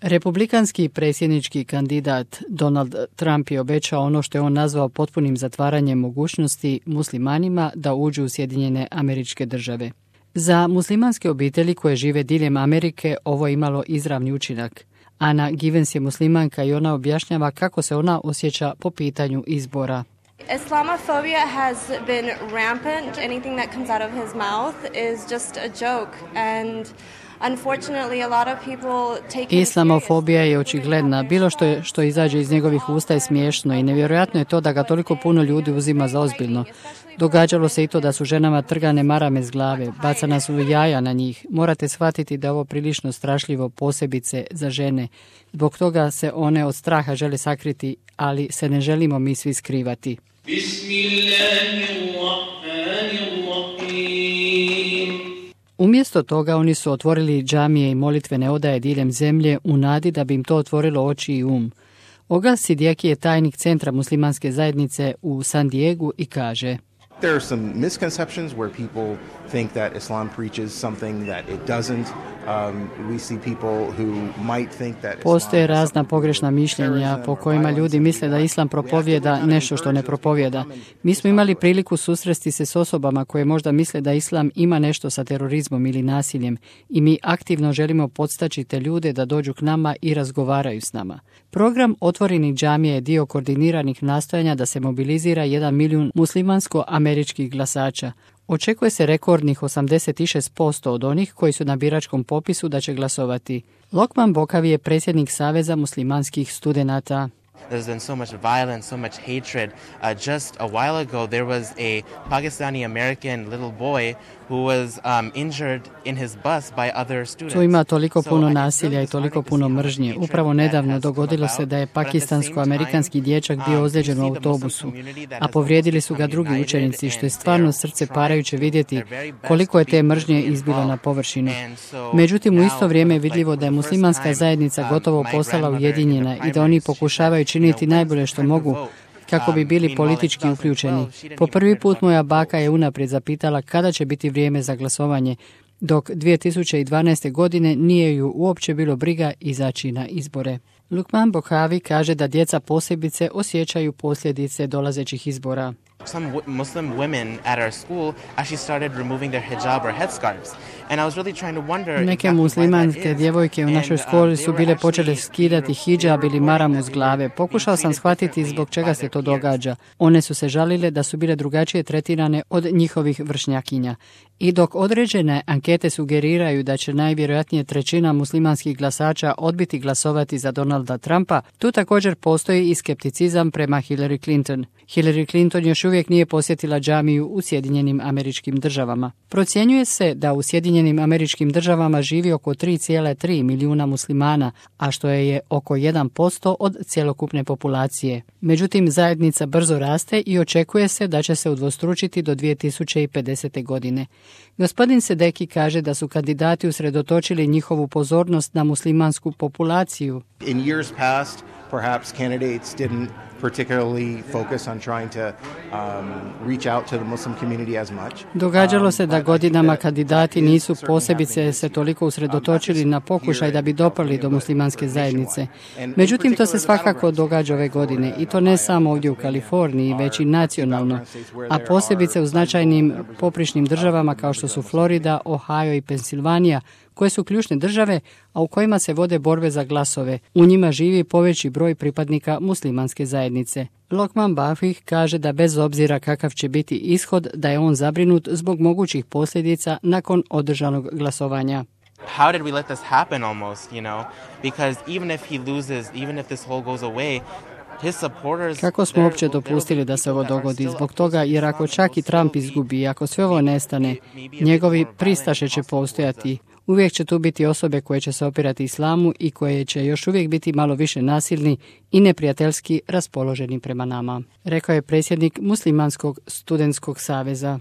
Republikanski predsjednički kandidat Donald Trump je obećao ono što je on nazvao potpunim zatvaranjem mogućnosti muslimanima da uđu u Sjedinjene Američke Države. Za muslimanske obitelji koje žive diljem Amerike ovo je imalo izravni učinak. Ana Givens je muslimanka i ona objašnjava kako se ona osjeća po pitanju izbora. Islamophobia has been rampant. Anything that comes out of his mouth is just a joke and unfortunately a lot of people take Islamofobija je očigledna. Bilo što izađe iz njegovih usta je smiješno i nevjerojatno je to da ga toliko puno ljudi uzima za ozbiljno. Događalo se i to da su ženama trgane marame s glave, bacana su jaja na njih. Morate shvatiti da je ovo prilično strašljivo, posebice za žene. Zbog toga se one od straha žele sakriti, ali se ne želimo mi svi skrivati. Umjesto toga oni su otvorili džamije i molitvene odaje diljem zemlje u nadi da bi im to otvorilo oči i Oglas Sidjeki je tajnik Centra muslimanske zajednice u San Diegu i kaže: There are some misconceptions where people think that Islam preaches something that it doesn't. We see people who might think that Postoje razna pogrešna mišljenja po kojima ljudi misle da Islam propovijeda nešto što ne propovijeda. Mi smo imali priliku susresti se s osobama koje možda misle da Islam ima nešto sa terorizmom ili nasiljem i mi aktivno želimo podstaći te ljude da dođu k nama i razgovaraju s nama. Program Otvorenih džamija je dio koordiniranih nastojanja da se mobilizira 1 milijun muslimansko-američkih glasača. Očekuje se rekordnih 86% od onih koji su na biračkom popisu da će glasovati. Lokman Bokavi je predsjednik Saveza muslimanskih studenata. There's been so much violence, so much hatred. Just a while ago, there was a Pakistani-American little boy who was injured in his bus by other students. Tu ima toliko puno nasilja i toliko puno mržnje. Upravo nedavno dogodilo se da je pakistansko-amerikanski dječak bio ozlijeđen u autobusu, a povrijedili su ga drugi učenici, što je stvarno srce parajuće vidjeti koliko je te mržnje izbilo na površinu. Međutim, u isto vrijeme je vidljivo da je muslimanska zajednica gotovo postala ujedinjena i da oni pokušavaju činiti najbolje što mogu kako bi bili politički uključeni. Po prvi put moja baka je unaprijed zapitala kada će biti vrijeme za glasovanje, dok 2012. godine nije ju uopće bilo briga izaći na izbore. Lukman Bokhavi kaže da djeca posebice osjećaju posljedice dolazećih izbora. Some Muslim women at our school actually started removing their hijab or headscarves. And I was really trying to wonder. Neke muslimanske djevojke u našoj školi su bile počele skidati hidžab ili maramu s glave. Pokušao sam shvatiti zbog čega se to događa. One su se žalile da su bile drugačije tretirane od njihovih vršnjakinja. I dok određene ankete sugeriraju da će najvjerojatnije 1/3 muslimanskih glasača odbiti glasovati za Donalda Trumpa, tu također postoji i skepticizam prema Hillary Clinton. Hillary Clinton još uvijek nije posjetila džamiju u Sjedinjenim Američkim Državama. Procjenjuje se da u Sjedinjenim Američkim Državama živi oko 3,3 milijuna muslimana, a što je oko 1% od cjelokupne populacije. Međutim, zajednica brzo raste i očekuje se da će se udvostručiti do 2050. godine. Gospodin Sedeki kaže da su kandidati usredotočili njihovu pozornost na muslimansku populaciju. In years past, perhaps candidates didn't particularly focus on trying to reach out to the Muslim community as much. Događalo se da godinama kandidati nisu posebice se toliko usredotočili na pokušaj da bi dopali do muslimanske zajednice. Međutim, to se svakako događa ove godine i to ne samo ovdje u Kaliforniji, već i nacionalno, a posebice u značajnim poprišnim državama kao što su Florida, Ohio i Pensilvanija, koje su ključne države, a u kojima se vode borbe za glasove. U njima živi poveći broj pripadnika muslimanske zajednice. Lokman Bafih kaže da bez obzira kakav će biti ishod, da je on zabrinut zbog mogućih posljedica nakon održanog glasovanja. How did we let this happen almost, Because even if he loses, even if this whole goes away, kako smo uopće dopustili da se ovo dogodi? Zbog toga, jer ako čak i Trump izgubi, ako sve ovo nestane, njegovi pristaše će postojati. Uvijek će tu biti osobe koje će se opirati islamu i koje će još uvijek biti malo više nasilni i neprijateljski raspoloženi prema nama, rekao je predsjednik Muslimanskog studentskog saveza.